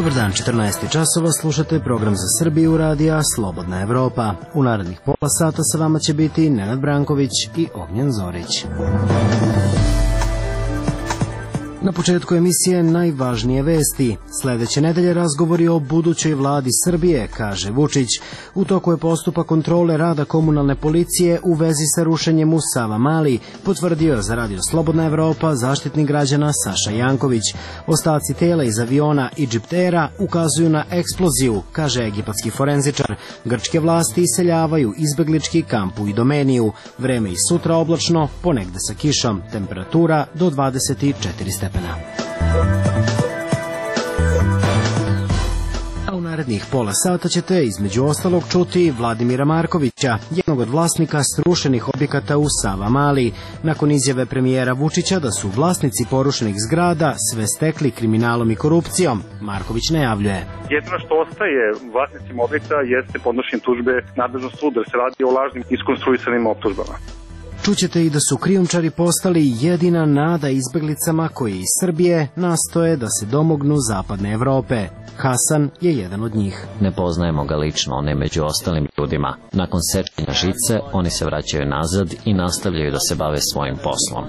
Dobar dan, 14 časova, slušate program za Srbiju radija Slobodna Evropa. U narednih pola sata sa vama će biti Nenad Branković i Ognjen Zorić. Na početku emisije najvažnije vesti. Sledeće nedelje razgovori o budućoj vladi Srbije, kaže Vučić. U toku je postupak kontrole rada komunalne policije u vezi sa rušenjem u Savamali, potvrdio za radio Slobodna Evropa zaštitnik građana Saša Janković. Ostaci tela iz aviona Egyptera ukazuju na eksploziju, kaže egipatski forenzičar. Grčke vlasti iseljavaju izbeglički kamp u Idomeniju. Vreme i sutra oblačno, ponegde sa kišom. Temperatura do 24 stepena. A u narednih pola sata ćete između ostalog čuti Vladimira Markovića, jednog od vlasnika srušenih objekata u Savamali, nakon izjave premijera Vučića da su vlasnici porušenih zgrada sve stekli kriminalom i korupcijom. Marković najavljuje: jedino što ostaje vlasnicima objekta jeste podnošenje tužbe nadležnom sudu, jer se radi o lažnim iskonstruisanim optužbama. Čućete i da su krijumčari postali jedina nada izbeglicama koji iz Srbije nastoje da se domognu zapadne Evrope. Hasan je jedan od njih. Ne poznajemo ga lično, on je među ostalim ljudima. Nakon sečenja žice, oni se vraćaju nazad i nastavljaju da se bave svojim poslom.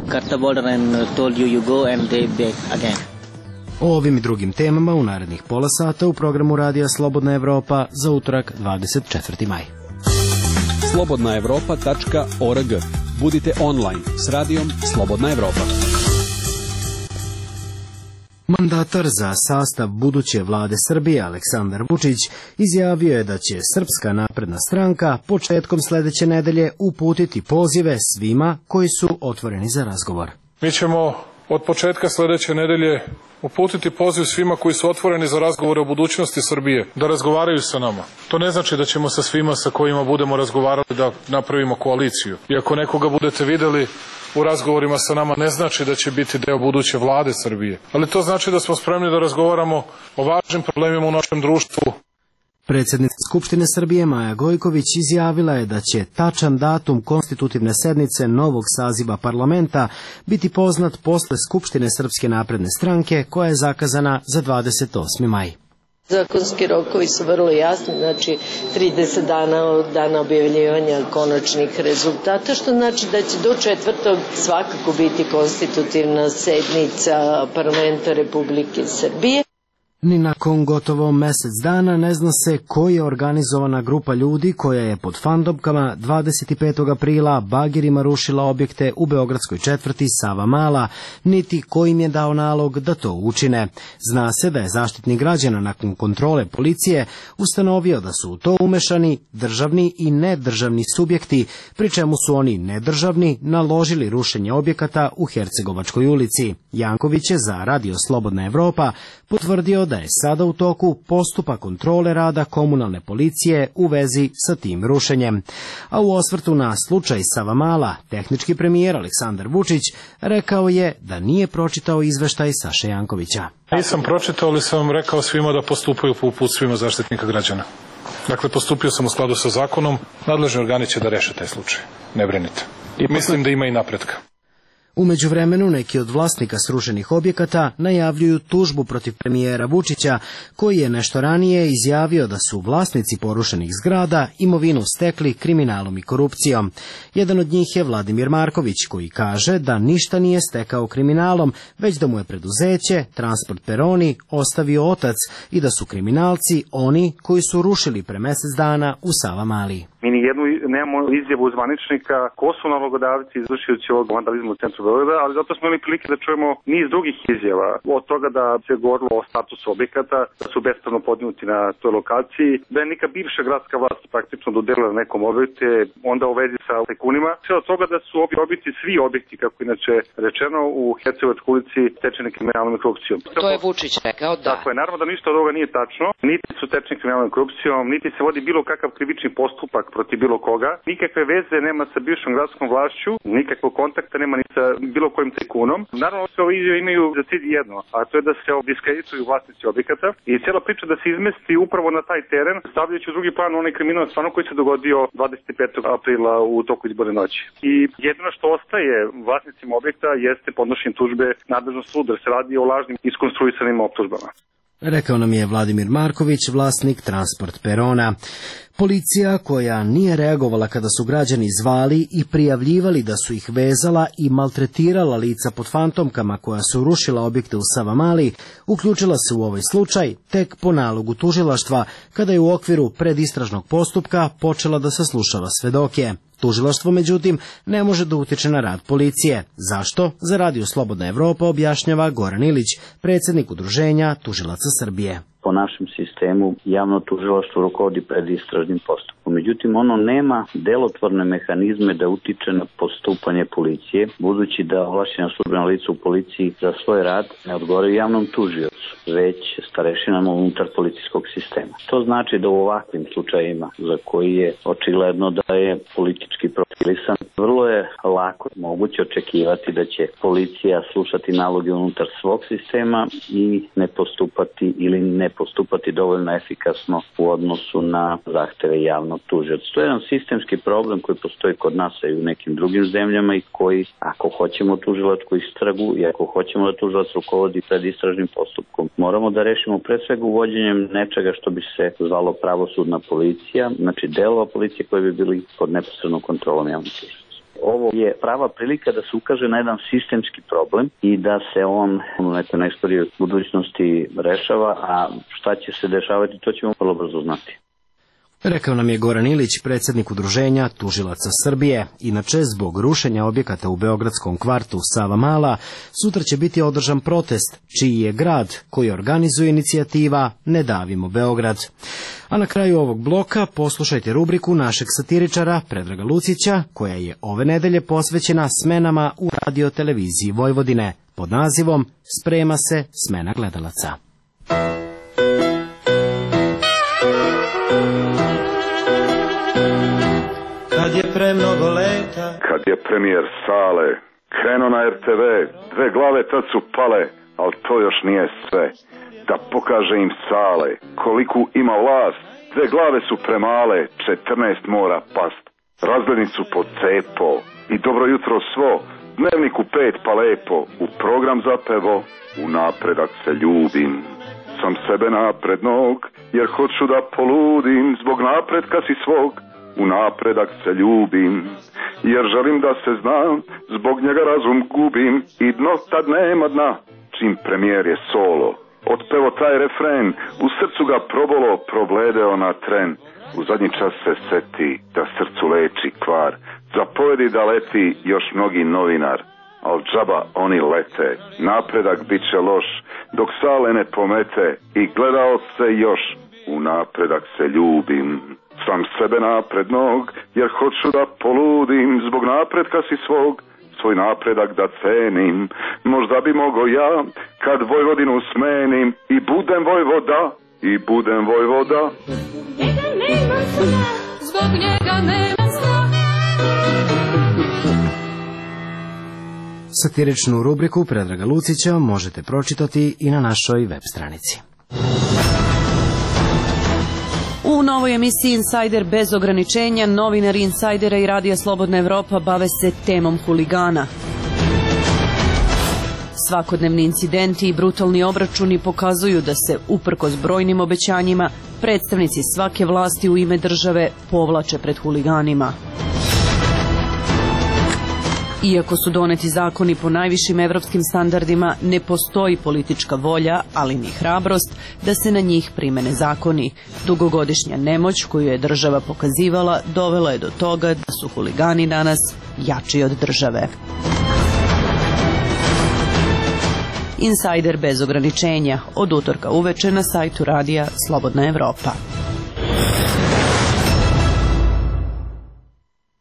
O ovim i drugim temama u narednih pola sata u programu radija Slobodna Evropa za utorak 24. maj. slobodnaevropa.org. Budite online s radijom Slobodna Evropa. Mandatar za sastav buduće vlade Srbije Aleksandar Vučić izjavio je da će Srpska napredna stranka početkom sledeće nedelje uputiti pozive svima koji su otvoreni za razgovor. Mi ćemo od početka sledeće nedelje uputiti poziv svima koji su otvoreni za razgovore o budućnosti Srbije, da razgovaraju sa nama. To ne znači da ćemo sa svima sa kojima budemo razgovarali da napravimo koaliciju. I ako nekoga budete videli u razgovorima sa nama, ne znači da će biti deo buduće vlade Srbije. Ali to znači da smo spremni da razgovaramo o važnim problemima u našem društvu. Predsjednica Skupštine Srbije Maja Gojković izjavila je da će tačan datum konstitutivne sednice novog saziva parlamenta biti poznat posle Skupštine Srpske napredne stranke koja je zakazana za 28. maj. Zakonski rokovi su vrlo jasni, znači 30 dana od dana objavljivanja konačnih rezultata, što znači da će do 4. svakako biti konstitutivna sednica parlamenta Republike Srbije. Ni nakon gotovo mesec dana ne zna se koja je organizovana grupa ljudi koja je pod fandopkama 25. aprila bagerima rušila objekte u beogradskoj četvrti Savamala, niti ko im je dao nalog da to učine. Zna se da je zaštitnik građana nakon kontrole policije ustanovio da su u to umešani državni i nedržavni subjekti, pri čemu su oni nedržavni naložili rušenje objekata u Hercegovačkoj ulici. Janković je za radio Slobodna Evropa potvrdio da je sada u toku postupak kontrole rada komunalne policije u vezi sa tim rušenjem. A u osvrtu na slučaj Savamala, tehnički premijer Aleksandar Vučić rekao je da nije pročitao izveštaj Saše Jankovića. Nisam pročitao, ali sam rekao svima da postupaju po uputstvima zaštitnika građana. Dakle, postupio sam u skladu sa zakonom, nadležni organi će da reše taj slučaj. Ne brinite. I mislim da ima i napretka. U međuvremenu neki od vlasnika srušenih objekata najavljuju tužbu protiv premijera Vučića, koji je nešto ranije izjavio da su vlasnici porušenih zgrada imovinu stekli kriminalom i korupcijom. Jedan od njih je Vladimir Marković, koji kaže da ništa nije stekao kriminalom, već da mu je preduzeće Transport Peroni ostavio otac i da su kriminalci oni koji su rušili pre mesec dana u Savamali. Mi nijednu nemamo izjavu zvaničnika ko su nalogodavci izvršioci ovog vandalizma u centru Beograda, ali zato smo imali prilike da čujemo niz drugih izjava. Od toga da se govorilo o statusu objekata, da su bespravno podnuti na toj lokaciji, da je neka bivša gradska vlast praktično dodelila nekom objekte, onda u vezi sa tajkunima. Sve od toga da su objekti, svi objekti, kako inače rečeno, u Hercegovačkoj ulici stečeni kriminalnom i korupcijom. To je Vučić rekao, da. Tako je, naravno da ništa od ovoga nije tačno, niti su stečeni kriminalnom i korupcijom, niti se vodi bilo kakav krivični postupak protiv bilo koga, nikakve veze nema sa bivšom gradskom vlašću, nikakvog kontakta nema ni sa bilo kojim tajkunom. Naravno, sve ove izjave imaju za cilj jedno, a to je da se diskredituju vlasnici objekata i cijela priča da se izmesti upravo na taj teren, stavljajući u drugi plan onaj kriminal stvarno koji se dogodio 25. aprila u toku izborne noći. I jedino što ostaje vlasnicima objekta jeste podnošenje tužbe nadležnom sudu, jer se radi o lažnim iskonstruisanim optužbama. Rekao nam je Vladimir Marković, vlasnik Transport perona. Policija, koja nije reagovala kada su građani zvali i prijavljivali da su ih vezala i maltretirala lica pod fantomkama koja su rušila objekte u Savamali, uključila se u ovaj slučaj tek po nalogu tužilaštva, kada je u okviru predistražnog postupka počela da saslušava svedoke. Tužilaštvo, međutim, ne može da utiče na rad policije. Zašto? Za Radio Slobodna Evropa objašnjava Goran Ilić, predsjednik Udruženja tužilaca Srbije. Po našem sistemu javno tužilaštvo rukovodi predistražnim postupkom. Međutim, ono nema delotvorne mehanizme da utiče na postupanje policije, budući da ovlašćena službena lica u policiji za svoj rad ne odgovaraju javnom tužiocu, već starešinama unutar policijskog sistema. To znači da u ovakvim slučajima, za koji je očigledno da je politički profilisan, vrlo je lako moguće očekivati da će policija slušati naloge unutar svog sistema i ne postupati ili ne postupati dovoljno efikasno u odnosu na zahteve javnog tužioca. To je jedan sistemski problem koji postoji kod nas i u nekim drugim zemljama i koji, ako hoćemo tužilačku istragu i ako hoćemo da tužilac rukovodi pred istražnim postupkom, moramo da rešimo pre svega uvođenjem nečega što bi se zvalo pravosudna policija, znači delova policije koji bi bili pod neposrednom kontrolom javnog tužioca. Ovo je prava prilika da se ukaže na jedan sistemski problem i da se on u nekoj najskorijoj budućnosti rešava, a šta će se dešavati, to ćemo vrlo brzo znati. Rekao nam je Goran Ilić, predsjednik Udruženja tužilaca Srbije. Inače, zbog rušenja objekata u beogradskom kvartu Savamala, sutra će biti održan protest, čiji je grad koji organizuje inicijativa Ne davimo Beograd. A na kraju ovog bloka poslušajte rubriku našeg satiričara Predraga Lucića, koja je ove nedelje posvećena smenama u radio-televiziji Vojvodine, pod nazivom Sprema se smena gledalaca. Kad je premnogo leta, kad je premijer Sale krenuo na RTV, dve glave tad su pale, ali to još nije sve. Da pokaže im Sale koliku ima vlast, dve glave su premale, 14 mora past. Razglednicu pod cepo i dobro jutro svo, dnevniku 5 pa lepo, u program zapevo, u napredak se ljubim. Sam sebe naprednog, jer hoću da poludim, zbog napretka si svog, u napredak se ljubim, jer želim da se znam, zbog njega razum gubim i dno tad nema dna, čim premijer je solo. Otpevo taj refren, u srcu ga probolo, probledeo na tren, u zadnji čas se seti da srcu leči kvar, zapovedi da leti još mnogi novinar, al džaba oni lete, napredak bit će loš, dok Sale ne pomete i gledao se još, u napredak se ljubim. Sam sebe naprednog, jer hoću da poludim, zbog napretka si svog, svoj napredak da cenim. Možda bi mogo ja, kad Vojvodinu smenim, i budem vojvoda, i budem vojvoda. Zbog njega nema sna. Satiričnu rubriku Predraga Lucića možete pročitati i na našoj web stranici. U novoj emisiji Insider bez ograničenja, novinari Insajdera i Radija Slobodna Evropa bave se temom huligana. Svakodnevni incidenti i brutalni obračuni pokazuju da se, uprkos brojnim obećanjima, predstavnici svake vlasti u ime države povlače pred huliganima. Iako su doneti zakoni po najvišim evropskim standardima, ne postoji politička volja, ali ni hrabrost, da se na njih primene zakoni. Dugogodišnja nemoć koju je država pokazivala dovela je do toga da su huligani danas jači od države. Insajder bez ograničenja, od utorka uveče na sajtu Radija Slobodna Evropa.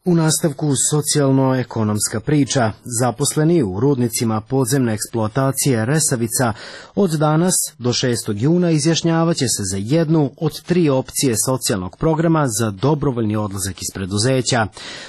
U nastavku socijalno-ekonomska priča. Zaposleni u rudnicima podzemne eksploatacije Resavica od danas do 6. juna izjašnjavaće se za jednu od 3 opcije socijalnog programa za dobrovoljni odlazak iz preduzeća.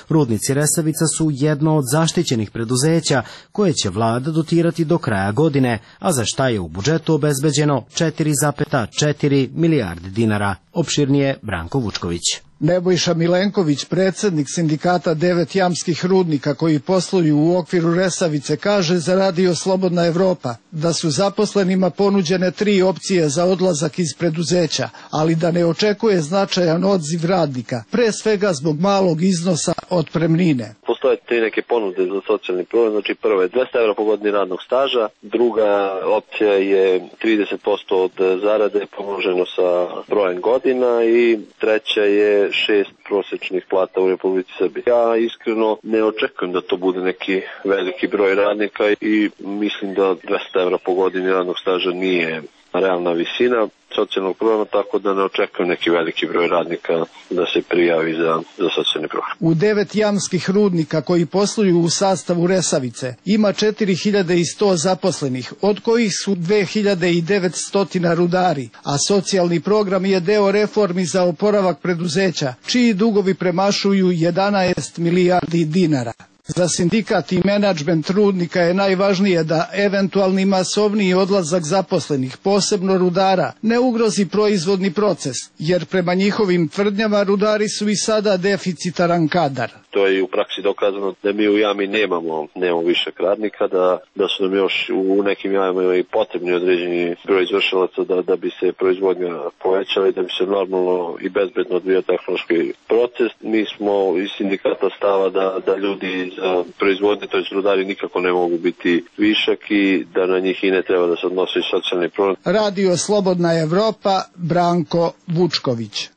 Rudnici Resavica su jedno od zaštićenih preduzeća koje će vlada dotirati do kraja godine, a za šta je u budžetu obezbeđeno 4,4 milijarde dinara. Opširnije Branko Vučković. Nebojša Milenković, predsjednik sindikata 9 jamskih rudnika koji posluju u okviru Resavice, kaže za Radio Slobodna Evropa da su zaposlenima ponuđene 3 opcije za odlazak iz preduzeća, ali da ne očekuje značajan odziv radnika, pre svega zbog malog iznosa otpremnine. Postoje 3 neke ponude za socijalni program, znači prva je 200 € po godini radnog staža, druga opcija je 30% od zarade pomnoženo sa brojem godina i treća je 6 prosječnih plata u Republici Srbiji. Ja iskreno ne očekujem da to bude neki veliki broj radnika i mislim da 200 € po godini radnog staža nije realna visina socijalnog programa, tako da ne očekujem neki veliki broj radnika da se prijavi za socijalni program. U 9 jamskih rudnika koji posluju u sastavu Resavice ima 4100 zaposlenih, od kojih su 2900 rudari, a socijalni program je deo reformi za oporavak preduzeća, čiji dugovi premašuju 11 milijardi dinara. Za sindikat i menadžment rudnika je najvažnije da eventualni masovniji odlazak zaposlenih, posebno rudara, ne ugrozi proizvodni proces, jer prema njihovim tvrdnjama rudari su i sada deficitaran kadar. To je u praksi dokazano da mi u jami nemamo višak radnika, da su nam još u nekim jamama i potrebni određeni broj izvršilaca da bi se proizvodnja povećala i da bi se normalno i bezbedno odvijao tehnološki proces. Mi smo iz sindikata stava da ljudi za proizvodnje, to je rudari, nikako ne mogu biti višak i da na njih i ne treba da se odnosi socijalni program. Radio Slobodna Evropa, Branko Vučković.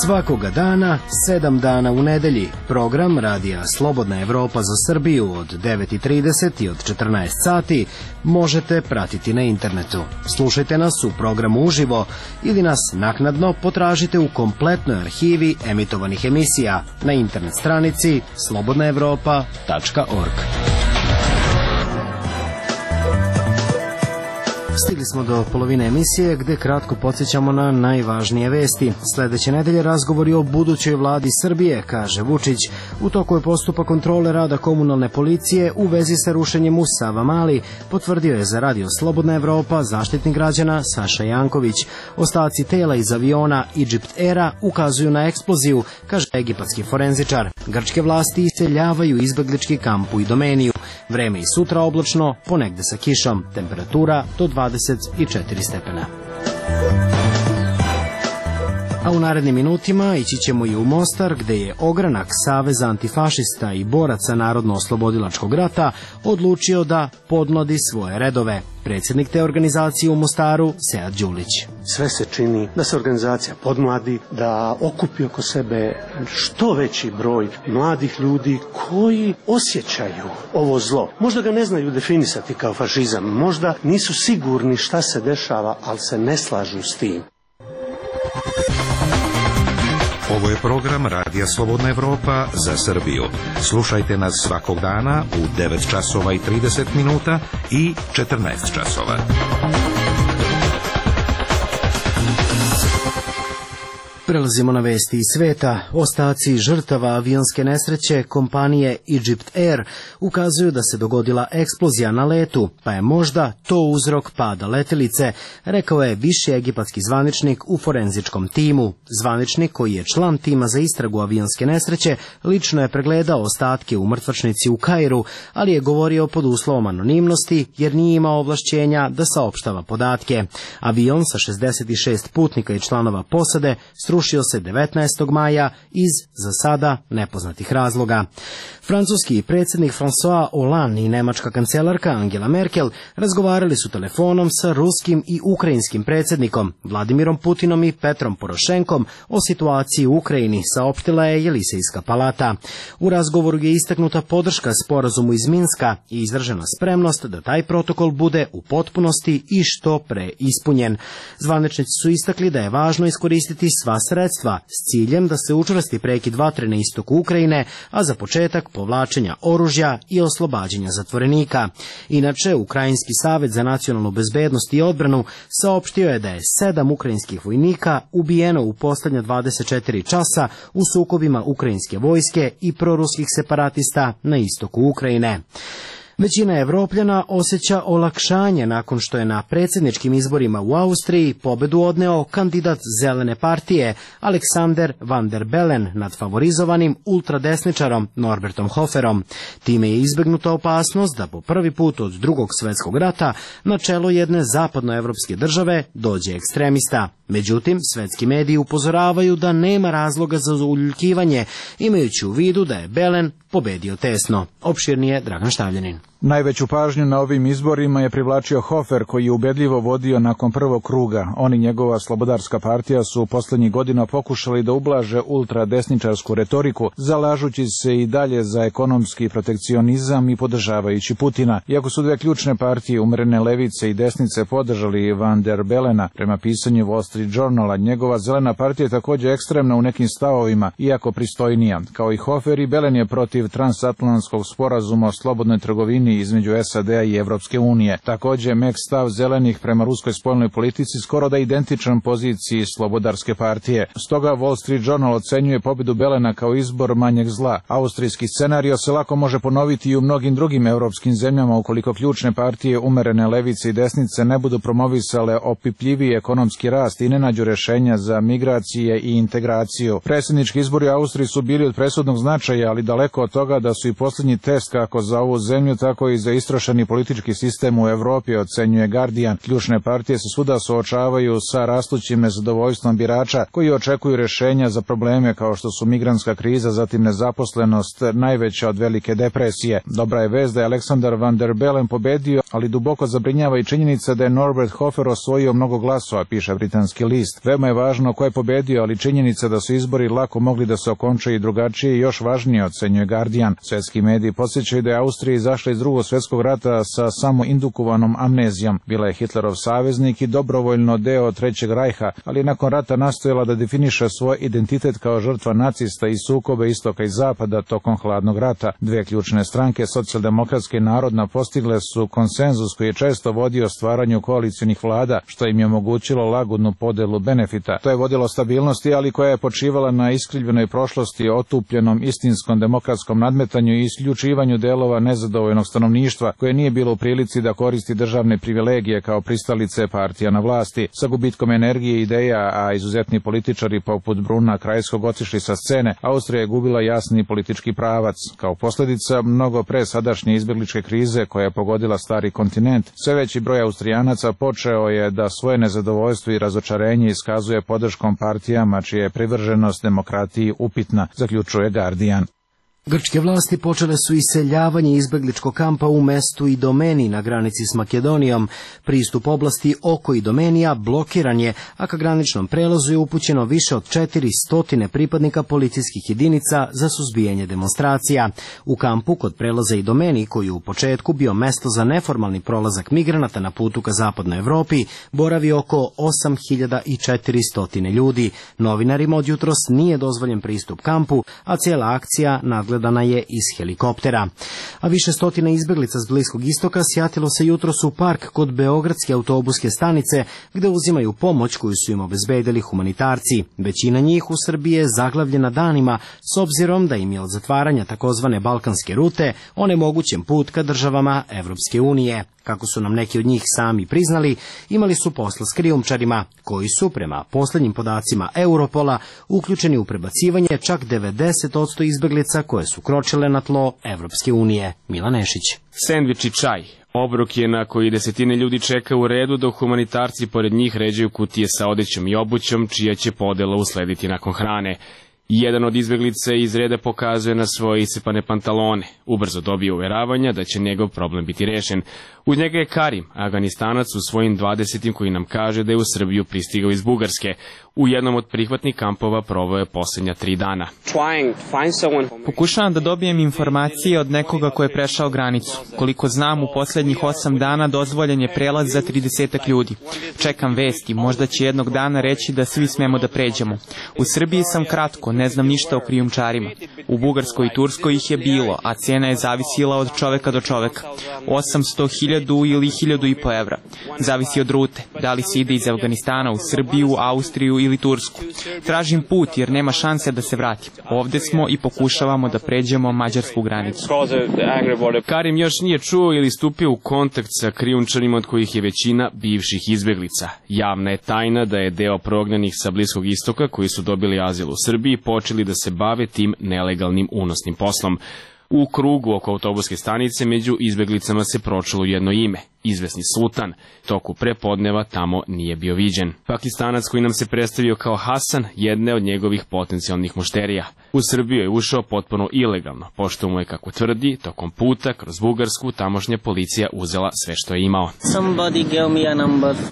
Svakoga dana, 7 dana u nedelji, program Radija Slobodna Evropa za Srbiju od 9:30 i od 14 sati možete pratiti na internetu. Slušajte nas u programu uživo ili nas naknadno potražite u kompletnoj arhivi emitovanih emisija na internet stranici slobodnaevropa.org. Stigli smo do polovine emisije gde kratko podsjećamo na najvažnije vesti. Sledeće nedelje razgovori o budućoj vladi Srbije, kaže Vučić. U toku je postupak kontrole rada komunalne policije u vezi sa rušenjem u Savamali, potvrdio je za Radio Slobodna Evropa zaštitnik građana Saša Janković. Ostaci tela iz aviona Egypt Aira ukazuju na eksploziju, kaže egipatski forenzičar. Grčke vlasti iseljavaju izbeglički kamp u Idomeniju. Vreme i sutra oblačno, ponegde sa kišom, temperatura do 24 stepena. A u narednim minutima ići ćemo i u Mostar, gde je ogranak Saveza antifašista i boraca Narodno-oslobodilačkog rata odlučio da podmladi svoje redove. Predsjednik te organizacije u Mostaru, Sead Đulić. Sve se čini da se organizacija podmladi, da okupi oko sebe što veći broj mladih ljudi koji osjećaju ovo zlo. Možda ga ne znaju definisati kao fašizam, možda nisu sigurni šta se dešava, ali se ne slažu s tim. Ovo je program Radija Slobodna Evropa za Srbiju. Slušajte nas svakog dana u 9 časova i 30 minuta i 14 časova. Prelazimo na vesti iz sveta. Ostaci žrtava avionske nesreće kompanije Egypt Air ukazuju da se dogodila eksplozija na letu, pa je možda to uzrok pada letelice, rekao je viši egipatski zvaničnik u forenzičkom timu. Zvaničnik, koji je član tima za istragu avionske nesreće, lično je pregledao ostatke u mrtvačnici u Kairu, ali je govorio pod uslovom anonimnosti jer nije imao ovlašćenja da saopštava podatke. Avion sa 66 putnika i članova posade srušio se 19. maja iz, za sada, nepoznatih razloga. Francuski predsjednik François Hollande i nemačka kancelarka Angela Merkel razgovarali su telefonom sa ruskim i ukrajinskim predsjednikom Vladimirom Putinom i Petrom Porošenkom o situaciji u Ukrajini, saopštila je Jelisejska palata. U razgovoru je istaknuta podrška sporazumu iz Minska i izražena spremnost da taj protokol bude u potpunosti i što pre ispunjen. Zvaničnici su istakli da je važno iskoristiti sva sredstva s ciljem da se učvrsti prekid vatre na istoku Ukrajine, a za početak povlačenja oružja i oslobađanja zatvorenika. Inače, Ukrajinski savet za nacionalnu bezbednost i odbranu saopštio je da je 7 ukrajinskih vojnika ubijeno u poslednja 24 časa u sukobima ukrajinske vojske i proruskih separatista na istoku Ukrajine. Većina Evropljana osjeća olakšanje nakon što je na predsjedničkim izborima u Austriji pobedu odneo kandidat Zelene partije Alexander Van der Bellen nad favorizovanim ultradesničarom Norbertom Hoferom. Time je izbegnuta opasnost da po prvi put od Drugog svjetskog rata na čelo jedne zapadnoevropske države dođe ekstremista. Međutim, svetski mediji upozoravaju da nema razloga za uljuljkivanje, imajući u vidu da je Bellen pobedio tesno. Opširnije Dragan Štavljanin. Najveću pažnju na ovim izborima je privlačio Hofer, koji je ubedljivo vodio nakon prvog kruga. On i njegova slobodarska partija su poslednjih godina pokušali da ublaže ultradesničarsku retoriku, zalažući se i dalje za ekonomski protekcionizam i podržavajući Putina. Iako su dve ključne partije, umerene levice i desnice, podržali Van der Bellena, prema pisanju Wall Street Journala, njegova zelena partija je također ekstremna u nekim stavovima, iako pristojnija. Kao i Hofer, i Bellen je protiv transatlantskog sporazuma o slobodnoj trgovini između SAD-a i Evropske unije. Također, mek stav zelenih prema ruskoj spoljnoj politici skoro da identičan poziciji slobodarske partije. Stoga Wall Street Journal ocenjuje pobedu Bellena kao izbor manjeg zla. Austrijski scenario se lako može ponoviti i u mnogim drugim evropskim zemljama ukoliko ključne partije umerene levice i desnice ne budu promovisale opipljiviji ekonomski rast i ne nađu rešenja za migracije i integraciju. Predsjednički izbori u Austriji su bili od presudnog značaja, ali daleko od toga da su i posljednji test kako za ovu zemlju, tako i za istrošeni politički sistem u Evropi, ocenjuje Guardian. Ključne partije se svuda suočavaju sa rastućim nezadovoljstvom birača koji očekuju rešenja za probleme kao što su migrantska kriza, zatim nezaposlenost, najveća od velike depresije. Dobra je vest da je Alexander Van der Bellen pobedio, ali duboko zabrinjava i činjenica da je Norbert Hofer osvojio mnogo glasova, piše britanski list. Veoma je važno ko je pobedio, ali činjenica da su izbori lako mogli da se okončaju i drugačije još važnije, ocenjuje Guardian. Svetski mediji podsjećaju da je Austrija izašla iz Drugog svjetskog rata sa samo indukovanom amnezijom. Bila je Hitlerov saveznik i dobrovoljno deo Trećeg rajha, ali nakon rata nastojala da definiše svoj identitet kao žrtva nacista i sukobe istoka i zapada tokom hladnog rata. Dve ključne stranke, socijaldemokratska i narodna, postigle su konsenzus koji je često vodio stvaranju koalicionih vlada, što im je omogućilo lagodnu podelu benefita. To je vodilo stabilnosti, ali koja je počivala na iskrivljenoj prošlosti, otupljenom istinskom demokratskom nadmetanju i isključivanju delova nezadovoljnog stanovništva koje nije bilo u prilici da koristi državne privilegije kao pristalice partija na vlasti. Sa gubitkom energije i ideja, a izuzetni političari poput Bruna Krajskog otišli sa scene, Austrija je gubila jasni politički pravac. Kao posljedica mnogo pre sadašnje izbjegličke krize koja je pogodila stari kontinent, sve veći broj Austrijanaca počeo je da svoje nezadovoljstvo i razočarenje iskazuje podrškom partijama čija je privrženost demokratiji upitna, zaključuje Guardian. Grčke vlasti počele su iseljavanje izbegličkog kampa u mestu Idomeni na granici s Makedonijom. Pristup oblasti oko Idomenija blokiran je, a ka graničnom prelazu je upućeno više od 400 pripadnika policijskih jedinica za suzbijanje demonstracija. U kampu kod prelaza Idomeni, koji je u početku bio mesto za neformalni prolazak migranata na putu ka zapadnoj Evropi, boravi oko 8400 ljudi. Novinarima od jutros nije dozvoljen pristup kampu, a cijela akcija nadgledana je iz helikoptera. A više stotina izbeglica s Bliskog istoka sjatilo se jutros u park kod Beogradske autobuske stanice, gde uzimaju pomoć koju su im obezbedili humanitarci. Većina njih u Srbiji je zaglavljena danima, s obzirom da im je od zatvaranja takozvane balkanske rute onemogućen put ka državama Evropske unije. Kako su nam neki od njih sami priznali, imali su posla s krijumčarima, koji su, prema posljednjim podacima Europola, uključeni u prebacivanje čak 90% izbeglica koje su kročile na tlo Evropske unije. Milan Nešić. Sendvič i čaj. Obrok je na koji desetine ljudi čeka u redu, dok humanitarci pored njih ređaju kutije sa odećom i obućom, čija će podela uslediti nakon hrane. Jedan od izbeglica iz reda pokazuje na svoje isipane pantalone. Ubrzo dobije uveravanja da će njegov problem biti rešen. Uz njega je Karim, Afganistanac u svojim 20. koji nam kaže da je u Srbiju pristigao iz Bugarske. U jednom od prihvatnih kampova proveo je posljednja 3 dana. Pokušavam da dobijem informacije od nekoga ko je prešao granicu. Koliko znam, u posljednjih 8 dana dozvoljen je prelaz za 30 ljudi. Čekam vesti, možda će jednog dana reći da svi smemo da pređemo. U Srbiji sam kratko, ne znam ništa o krijumčarima. U Bugarskoj i Turskoj ih je bilo, a cena je zavisila od čoveka do čoveka. 800, 1000 ili 1500 evra. Zavisi od rute, da li se ide iz Afganistana u Srbiju, Austriju ili Tursku. Tražim put jer nema šanse da se vratim. Ovde smo i pokušavamo da pređemo mađarsku granicu. Karim još nije čuo ili stupio u kontakt sa krijumčarima od kojih je većina bivših izbeglica. Javna je tajna da je deo prognanih sa Bliskog istoka koji su dobili azil u Srbiji počeli da se bave tim nelegalnim unosnim poslom. U krugu oko autobuske stanice među izbeglicama se pročulo jedno ime, izvesni Sultan. Toku prepodneva tamo nije bio viđen. Pakistanac koji nam se predstavio kao Hasan, jedne od njegovih potencijalnih mušterija. U Srbiju je ušao potpuno ilegalno, pošto mu je, kako tvrdi, tokom puta kroz Bugarsku tamošnja policija uzela sve što je imao.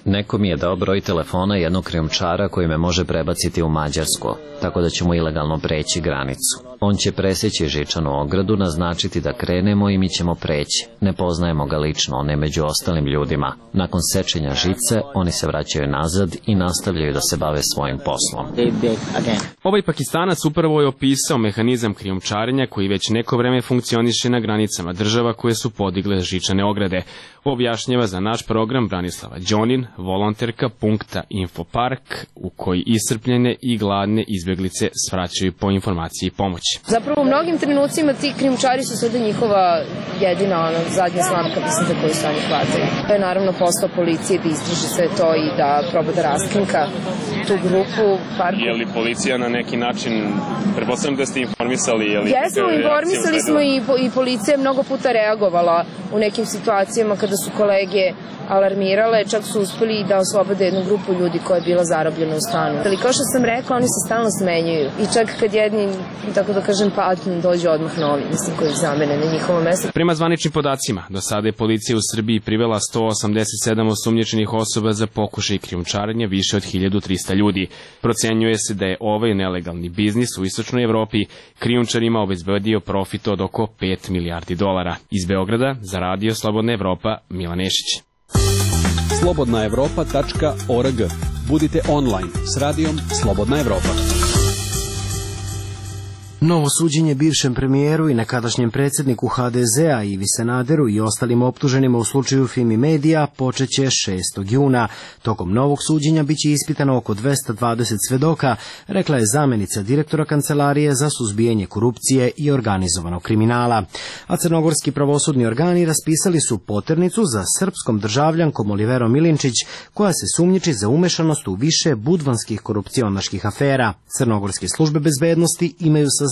Neko mi je dao broj telefona jednog krijumčara koji me može prebaciti u Mađarsku, tako da ćemo ilegalno preći granicu. On će preseći žičanu ogradu, naznačiti da krenemo i mi ćemo preći. Ne poznajemo ga lično, on je među ostalim ljudima. Nakon sečenja žice, oni se vraćaju nazad i nastavljaju da se bave svojim poslom. Ovaj Pakistanac upravo je opisao mehanizam krijumčarenja koji već neko vreme funkcioniše na granicama država koje su podigle žičane ograde. Objašnjava za naš program Branislava Đonin, volonterka punkta Infopark, u koji iscrpljene i gladne izbeglice svraćaju po informaciji i pomoć. Zapravo u mnogim trenucima ti krijumčari su sada njihova jedina zadnja slamka, mislim, za koju se oni hvataju. To je naravno posao policije da istraži sve to i da proba da raskrinka tu grupu. Je li policija na neki način, pretpostavljam da ste informisali? Jesmo, informisali smo i policija je mnogo puta reagovala u nekim situacijama kada su kolege alarmirale, čak su uspeli da oslobode jednu grupu ljudi koja je bila zarobljena u stanu. Ali kao što sam rekla, oni se stalno smenjuju i čak kad jedni, tako da kažem, padnu, dođe odmah novi, mislim, koji ih zamene na njihovo mesto. Prema zvaničnim podacima, do sada je policija u Srbiji privela 187 osumnjičenih osoba za pokušaj krijumčarenja više od 1300 ljudi. Procenjuje se da je ovaj nelegalni biznis u istočnoj Evropi krijumčarima obezbedio profit od oko 5 milijardi dolara. Iz Beograda za Radio Slobodna Evropa, Milan Nešić. slobodnaevropa.org. Budite online s radijom Slobodna Evropa. Novo suđenje bivšem premijeru i nekadašnjem predsjedniku HDZ-a Ivi Sanaderu i ostalim optuženima u slučaju Fimi Medija počeće 6. juna. Tokom novog suđenja biće ispitano oko 220 svedoka, rekla je zamenica direktora Kancelarije za suzbijanje korupcije i organizovanog kriminala. A crnogorski pravosudni organi raspisali su poternicu za srpskom državljankom Oliverom Milinčić, koja se sumnjiči za umešanost u više budvanskih korupcionaških afera. Crnogorske službe bezbednosti imaju saznanja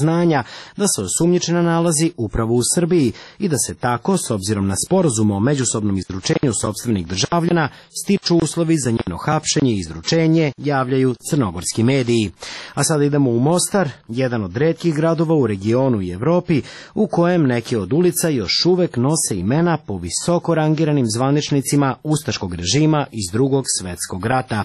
da se osumnjičena nalazi upravo u Srbiji i da se tako, s obzirom na sporazum o međusobnom izručenju sopstvenih državljana, stiču uslovi za njeno hapšenje i izručenje, javljaju crnogorski mediji. A sada idemo u Mostar, jedan od retkih gradova u regionu i Evropi, u kojem neke od ulica još uvek nose imena po visoko rangiranim zvaničnicima ustaškog režima iz Drugog svetskog rata.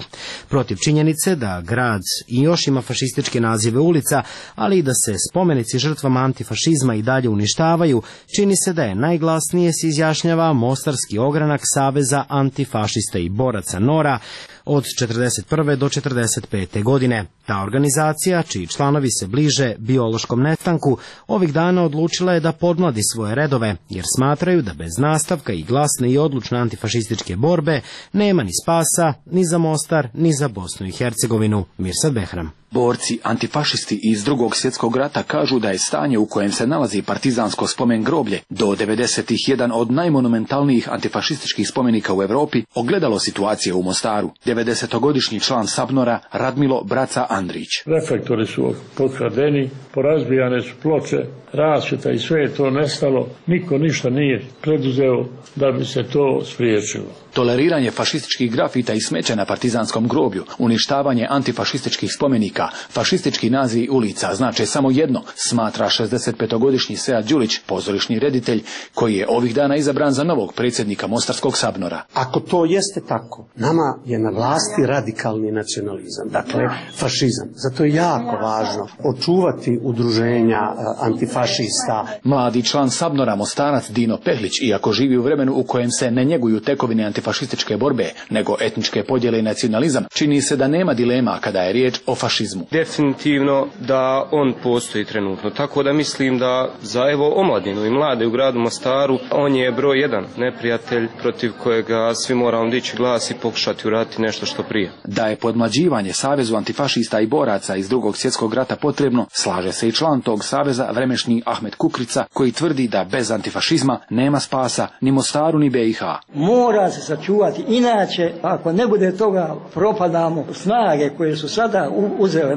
Protiv činjenice da grad i još ima fašističke nazive ulica, ali i da se spomenici žrtvama antifašizma i dalje uništavaju, čini se da je najglasnije se izjašnjava mostarski ogranak Saveza antifašista i boraca NORA od 1941. do 1945. godine. Ta organizacija, čiji članovi se bliže biološkom nestanku, ovih dana odlučila je da podmladi svoje redove, jer smatraju da bez nastavka i glasne i odlučne antifašističke borbe nema ni spasa, ni za Mostar, ni za Bosnu i Hercegovinu. Mirsad Behram. Borci antifašisti iz Drugog svjetskog rata kažu da je stanje u kojem se nalazi partizansko spomen groblje do 90-ih jedan od najmonumentalnijih antifašističkih spomenika u Europi ogledalo situacije u Mostaru. 90-godišnji član Sabnora Radmilo Braca Andrić. Reflektori su pokradeni, porazbijane su ploče, rasvjeta i sve je to nestalo. Niko ništa nije preduzeo da bi se to spriječilo. Toleriranje fašističkih grafita i smeća na partizanskom groblju, uništavanje antifašističkih spomenika, fašistički nazivi ulica znače samo jedno, smatra 65-godišnji Sead Đulić, pozorišni reditelj, koji je ovih dana izabran za novog predsjednika Mostarskog Sabnora. Ako to jeste tako, nama je na vlasti radikalni nacionalizam, dakle fašizam. Zato je jako važno očuvati udruženja antifašista. Mladi član Sabnora Mostarac Dino Pehlić, iako živi u vremenu u kojem se ne njeguju tekovine antifašističke borbe, nego etničke podjele i nacionalizam, čini se da nema dilema kada je riječ o fašizmu. fašizmu. Definitivno da on postoji trenutno, tako da mislim da za omladinu i mlade u gradu Mostaru on je broj jedan neprijatelj protiv kojega svi moramo dići glas i pokušati uraditi nešto što prije. Da je podmlađivanje Savezu antifašista i boraca iz Drugog svjetskog rata potrebno, slaže se i član tog saveza vremešni Ahmet Kukrica, koji tvrdi da bez antifašizma nema spasa ni Mostaru ni BiH. Mora se sačuvati, inače ako ne bude toga propadamo. Snage koje su sada uzele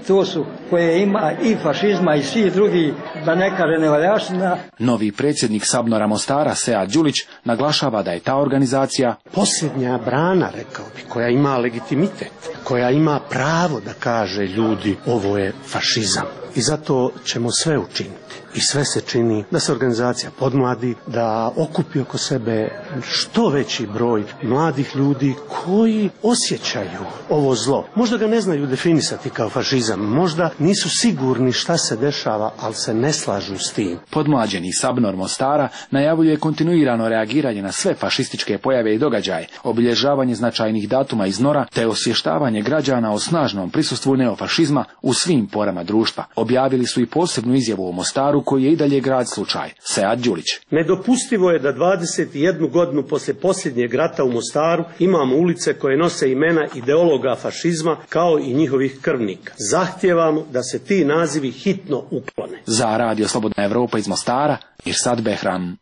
to su koje ima i fašizma i svi drugi, da ne kaže nevaljaština. Novi predsjednik Sabnora Mostara, Sead Đulić, naglašava da je ta organizacija posljednja brana, rekao bi, koja ima legitimitet, koja ima pravo da kaže ljudi ovo je fašizam. I zato ćemo sve učiniti. I sve se čini da se organizacija podmladi, da okupi oko sebe što veći broj mladih ljudi koji osjećaju ovo zlo. Možda ga ne znaju definisati kao fašizam, možda nisu sigurni šta se dešava, ali se ne slažu s tim. Podmlađeni Sabnor Mostara najavljuje kontinuirano reagiranje na sve fašističke pojave i događaje, obilježavanje značajnih datuma iz NOR-a, te osvještavanje građana o snažnom prisustvu neofašizma u svim porama društva. Objavili su i posebnu izjavu o Mostaru, koji je i dalje grad slučaj. Sead Đulić. Nedopustivo je da 21 godinu poslije posljednjeg rata u Mostaru imamo ulice koje nose imena ideologa fašizma kao i njihovih krvnika. Zahtijevamo da se ti nazivi hitno uklone. Za Radio Slobodna Evropa iz Mostara, Irsad Behram.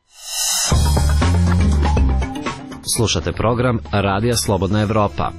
Slušate program Radija Slobodna Evropa.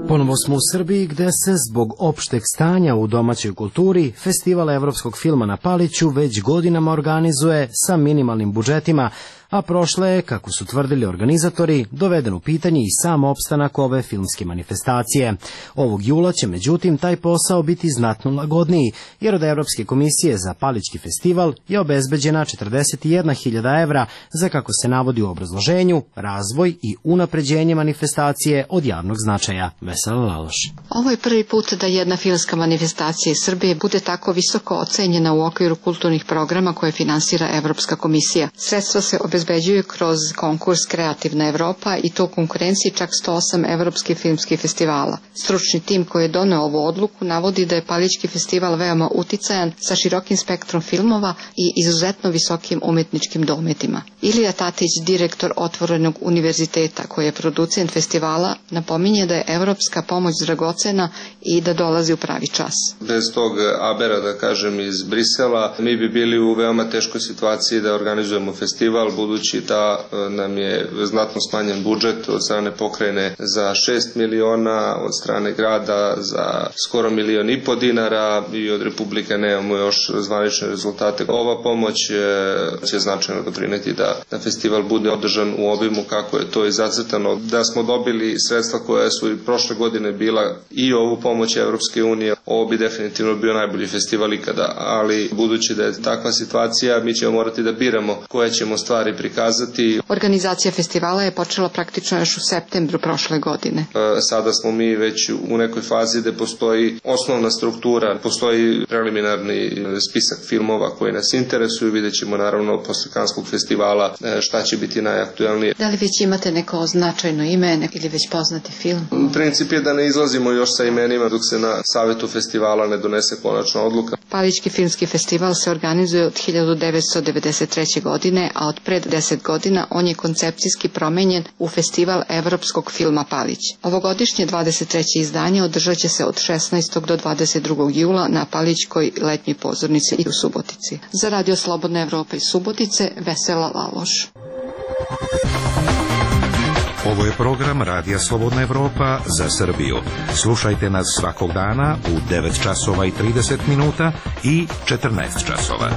Ponovo smo u Srbiji, gde se zbog opšteg stanja u domaćoj kulturi Festival evropskog filma na Paliću već godinama organizuje sa minimalnim budžetima, a prošle je, kako su tvrdili organizatori, doveden u pitanje i sam opstanak ove filmske manifestacije. Ovog jula će međutim taj posao biti znatno lagodniji, jer od Evropske komisije za Palićki festival je obezbeđena 41.000 evra za, kako se navodi u obrazloženju, razvoj i unapređenje manifestacije od javnog značaja. Vesela Laloš. Ovo je prvi put da jedna filmska manifestacija iz Srbije bude tako visoko ocenjena u okviru kulturnih programa koje finansira Evropska komisija. Sredstva se obezbeđuju kroz konkurs Kreativna Evropa i to u konkurenciji čak 108 evropskih filmskih festivala. Stručni tim koji je doneo ovu odluku navodi da je Palićki festival veoma uticajan sa širokim spektrom filmova i izuzetno visokim umetničkim dometima. Ilija Tatić, direktor Otvorenog univerziteta koji je producent festivala, napominje da je evropska pomoć dragocena i da dolazi u pravi čas. Bez tog abera, da kažem, iz Brisela, mi bi bili u veoma teškoj situaciji da organizujemo festival, budući da nam je znatno smanjen budžet od strane pokrajine za 6 miliona, od strane grada za skoro 1,5 miliona dinara i od Republike nemamo još zvanične rezultate. Ova pomoć će značajno doprineti da festival bude održan u obimu kako je to i zacrtano. Da smo dobili sredstva koja su i prošle godine bila i ovu pomoć Evropske unije, ovo bi definitivno bio najbolji festival ikada, ali budući da je takva situacija, mi ćemo morati da biramo koje ćemo stvari prikazati. Organizacija festivala je počela praktično još u septembru prošle godine. Sada smo mi već u nekoj fazi gde postoji osnovna struktura, postoji preliminarni spisak filmova koji nas interesuju, vidjet ćemo naravno posle Kanskog festivala šta će biti najaktuelnije. Da li već imate neko značajno ime ili već poznati film? Princip je da ne izlazimo još sa imenima dok se na savetu festivala ne donese konačna odluka. Palićki filmski festival se organizuje od 1993. godine, a od pred 10 godina on je koncepcijski promenjen u Festival evropskog filma Palić. Ovogodišnje 23. izdanje održat će se od 16. do 22. jula na Palićkoj letnjoj pozornici i u Subotici. Za Radio Slobodna Evropa iz Subotice, Vesela Laloš. Ovo je program Radija Slobodna Evropa za Srbiju. Slušajte nas svakog dana u 9 časova i 30 minuta i 14 časova.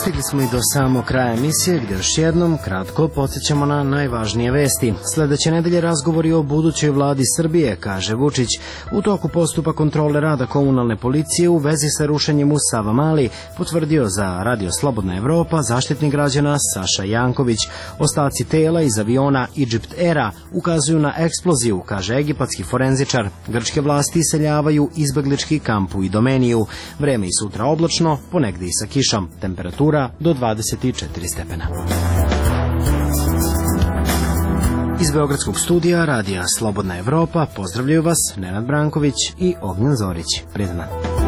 Stigli smo i do samog kraja emisije, gdje još jednom kratko podsjećamo na najvažnije vesti. Sledeće nedelje razgovori o budućoj vladi Srbije, kaže Vučić. U toku postupa kontrole rada komunalne policije u vezi sa rušenjem u Savamali potvrdio za Radio Slobodna Evropa zaštitnik građana Saša Janković. Ostaci tela iz aviona Egypt Aira ukazuju na eksploziju, kaže egipatski forenzičar. Grčke vlasti iseljavaju izbeglički kamp u Idomeniju. Vreme i sutra oblačno, ponegde i sa kišom. Temperatura do 24 stepena. Iz Beogradskog studija Radija Slobodna Evropa pozdravljaju vas Nenad Branković i Ognjen Zorić. Prijetan dan.